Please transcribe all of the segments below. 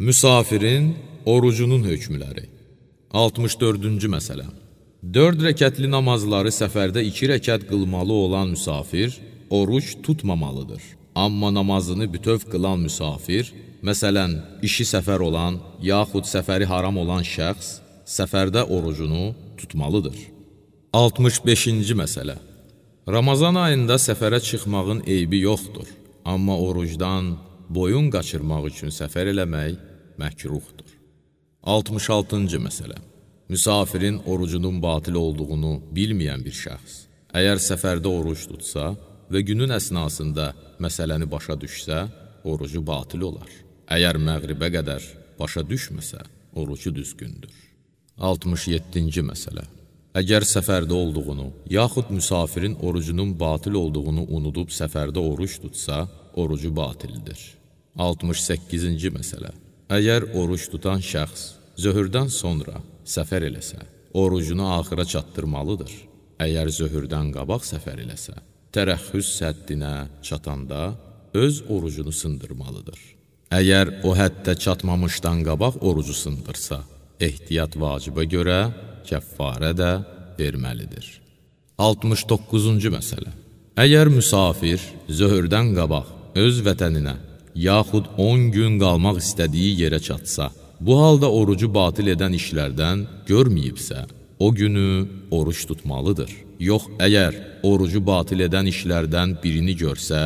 Müsafirin orucunun hökmləri. 64-cü məsələ. 4 rəkətli namazları səfərdə 2 rəkət qılmalı olan müsafir oruc tutmamalıdır. Amma namazını bütöv qılan müsafir, məsələn, işi səfər olan, yaxud səfəri haram olan şəxs, səfərdə orucunu tutmalıdır. 65-ci məsələ. Ramazan ayında səfərə çıxmağın eybi yoxdur. Amma orucdan boyun qaçırmaq üçün səfər eləmək məkruhdur. 66-cı məsələ. Müsafirin orucunun batil olduğunu bilməyən bir şəxs, əgər səfərdə oruc tutsa və günün əsnasında məsələni başa düşsə, orucu batil olar. Əgər məğribə qədər başa düşməsə, orucu düzgündür. 67-ci məsələ. Əgər səfərdə olduğunu, yaxud müsafirin orucunun batil olduğunu unudub səfərdə oruc tutsa, orucu batildir. 68-ci məsələ. Əgər oruc tutan şəxs zöhrdən sonra səfər eləsə, orucunu axıra çatdırmalıdır. Əgər zöhrdən qabaq səfər eləsə, tərəxhüs həddinə çatanda öz orucunu sındırmalıdır. Əgər o həddə çatmamışdan qabaq orucu sındırsa, ehtiyat vacibə görə kəffarə də verməlidir. 69-cu məsələ. Əgər müsafir zöhrdən qabaq öz vətəninə, yaxud 10 gün qalmaq istədiyi yerə çatsa, bu halda orucu batil edən işlərdən görməyibsə, o günü oruc tutmalıdır. Yox, əgər orucu batil edən işlərdən birini görsə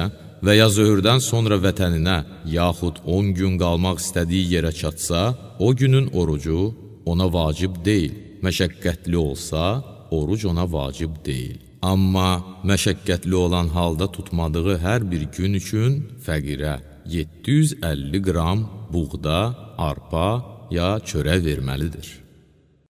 və ya zöhrdən sonra vətəninə, yaxud 10 gün qalmaq istədiyi yerə çatsa, o günün orucu ona vacib deyil. Məşəqqətli olsa, oruc ona vacib deyil. Amma məşəqqətli olan halda tutmadığı hər bir gün üçün fəqirə 750 qram buğda, arpa ya çörək verməlidir.